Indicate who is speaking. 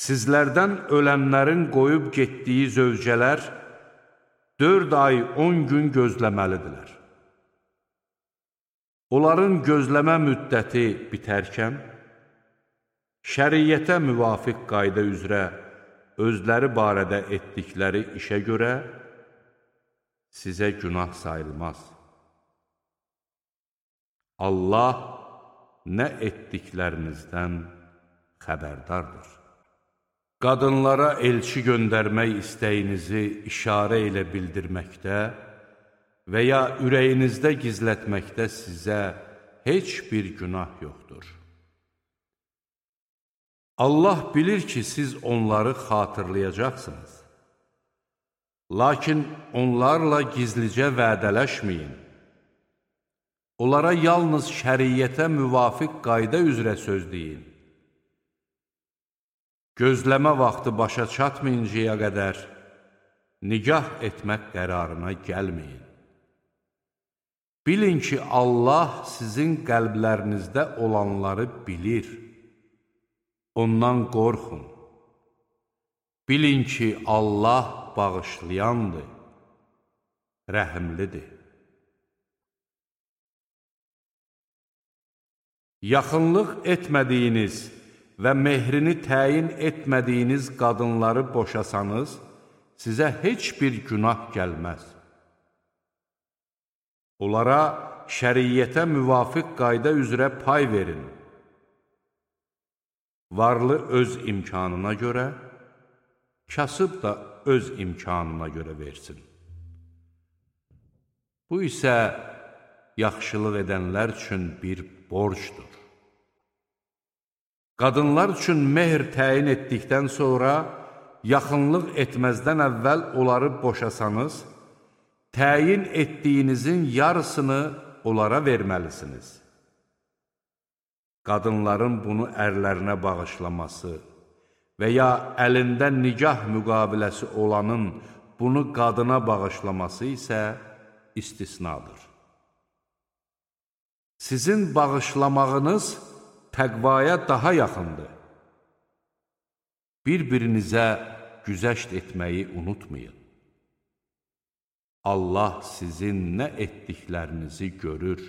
Speaker 1: Sizlərdən ölənlərin qoyub getdiyi zövcələr 4 ay 10 gün gözləməlidirlər. Onların gözləmə müddəti bitərkən, şəriyyətə müvafiq qayda üzrə özləri barədə etdikləri işə görə sizə günah sayılmaz. Allah nə etdiklərinizdən xəbərdardır. Qadınlara elçi göndərmək istəyinizi işarə ilə bildirməkdə və ya ürəyinizdə gizlətməkdə sizə heç bir günah yoxdur. Allah bilir ki, siz onları xatırlayacaqsınız. Lakin onlarla gizlicə vədələşməyin. Onlara yalnız şəriyyətə müvafiq qayda üzrə söz deyin. Gözləmə vaxtı başa çatmayıncaya qədər nikah etmək qərarına gəlməyin. Bilin ki, Allah sizin qəlblərinizdə olanları bilir. Ondan qorxun. Bilin ki, Allah bağışlayandır, rəhimlidir. Yaxınlıq etmədiyiniz və mehrini təyin etmədiyiniz qadınları boşasanız, sizə heç bir günah gəlməz. Onlara şəriyyətə müvafiq qayda üzrə pay verin. Varlı öz imkanına görə, kasıb da öz imkanına görə versin. Bu isə yaxşılıq edənlər üçün bir borcdur. Qadınlar üçün mehr təyin etdikdən sonra, yaxınlıq etməzdən əvvəl onları boşasanız, təyin etdiyinizin yarısını onlara verməlisiniz. Qadınların bunu ərlərinə bağışlaması və ya əlində nikah müqaviləsi olanın bunu qadına bağışlaması isə istisnadır. Sizin bağışlamağınız təqvaya daha yaxındır. Bir-birinizə güzəşt etməyi unutmayın. Allah sizin nə etdiklərinizi görür.